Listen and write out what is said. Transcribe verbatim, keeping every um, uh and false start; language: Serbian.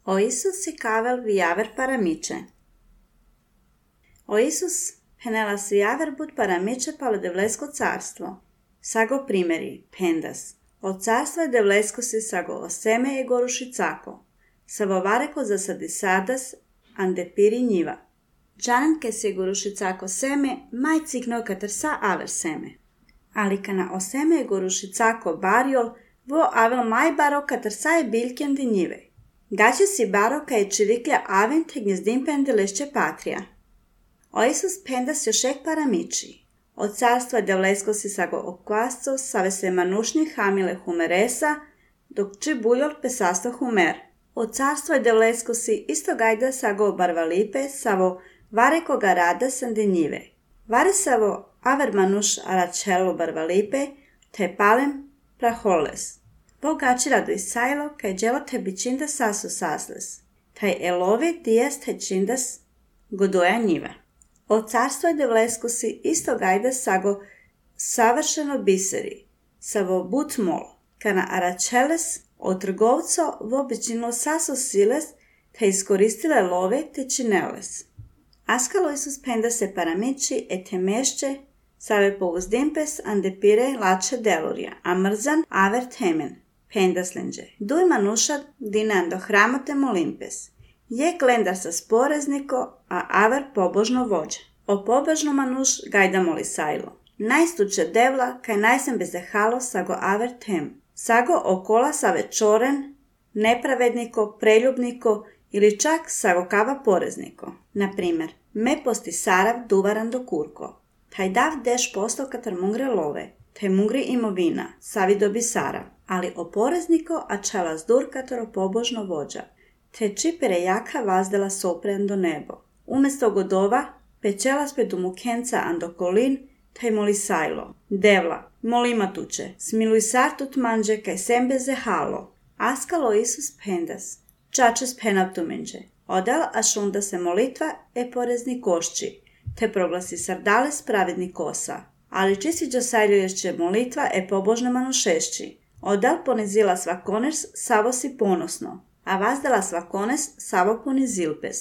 O Isus si kavel viaver paramice. O Isus penelas viaver bud paramice palo devlesko carstvo. Sago primeri, pendas. O carstvo je devlesko si sago oseme je goruši cako. Savo vareko zasadi sadas, ande piri njiva. Džanen ke si goruši cako seme, maj cikno katar sa aver seme. Ali kana oseme je goruši cako barjol, vo avel maj baro katar sa je bilken di njive. Gaće si baro ka je čiriklja aven te gnjezdim pendelešće patrija. O Isus pendas jošek paramiči. O carstvo je devlesko si sago okvasco save se manušni hamile humeresa, dok či buljol pesasto humer. O carstvo je devlesko si isto gajda sago barvalipe savo vareko ga rada sande njive. Vare savo aver manuš aračelo barvalipe te palem praholes. Bogači rado isajlo, kaj djelo te bičinda sasu sasles. Taj elovi dijas te čindas godoja njiva. O carstvo je devlesko si isto gajda sago savršeno biseri, savo but mol, kana aračeles o trgovco vo bičinilo sasu siles te iskoristile love te čineles. Askalo Isus penda se paramiči e te mešće save povuzdimpes ande pire lače delurja, a mrzan aver temen. Pendaslenđe. Duj manuša dinando hramote molimpes. Je glendar sa sporezniko, a aver pobožno vođa. O pobožno manuš gajda moli sajlo. Najstuče devla, kaj najsem bezehalo sago aver tem. Sago okola save čoren, nepravedniko, preljubniko ili čak sago kava porezniko. Naprimer, me posti sarav duvaran do kurko. Taj dav deš posto katar mungre love, te mungri imovina, savi dobi sarav. Ali o porezniko a čela zdur katero pobožno vođa, te čipere jaka vazdela sopren do nebo. Umesto godova, pečela spet u mukenca ando kolin, taj moli sajlo. Devla, molima tuče, smiluj sartut manđe kaj sembe zehalo. Askalo Isus pendas, čačes penav tumenđe. Odal ašunda se molitva e porezni košči, te proglasi sardales pravedni kosa. Ali čisi džosajljuješće molitva e pobožno manušešći. Odal ponizila svakoners savo si ponosno, a vazdala svakones savo ponizilpes.